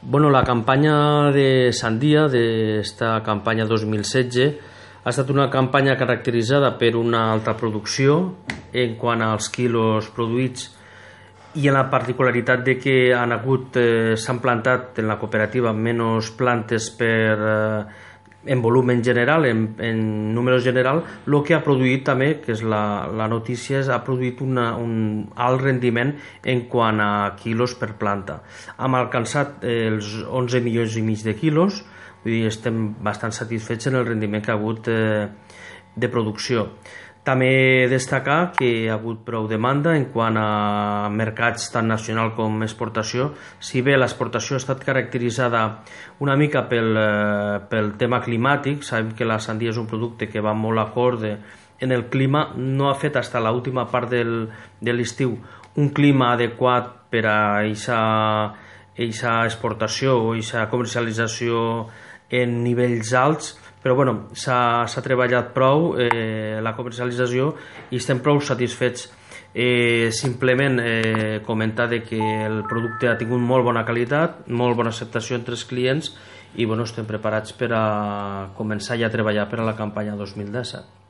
Bueno, la campanya de sandia, d'esta campanya 2016, ha estat una campanya caracteritzada per una alta producció en quant als quilos produïts i en la particularitat de que s'han plantat en la cooperativa menys plantes en volum en general, en número general, el que ha produït també, que és la notícia, ha produït un alt rendiment en quant a quilos per planta. Hem alcançat els 11 milions i mig de quilos, vull dir, estem bastant satisfets en el rendiment que ha hagut de producció. També destacar que hi ha hagut prou demanda en quant a mercats tant nacional com exportació. Si bé l'exportació ha estat caracteritzada una mica pel tema climàtic, sabem que la sandia és un producte que va molt acorde en el clima, no ha fet fins a l'última part de l'estiu un clima adequat per a aquesta exportació o aquesta comercialització en nivells alts, però bueno, s'ha treballat prou la comercialització i estem prou satisfets. Simplement comentar que el producte ha tingut molt bona qualitat, molt bona acceptació entre els clients i bueno, estem preparats per a començar ja a treballar per a la campanya 2017.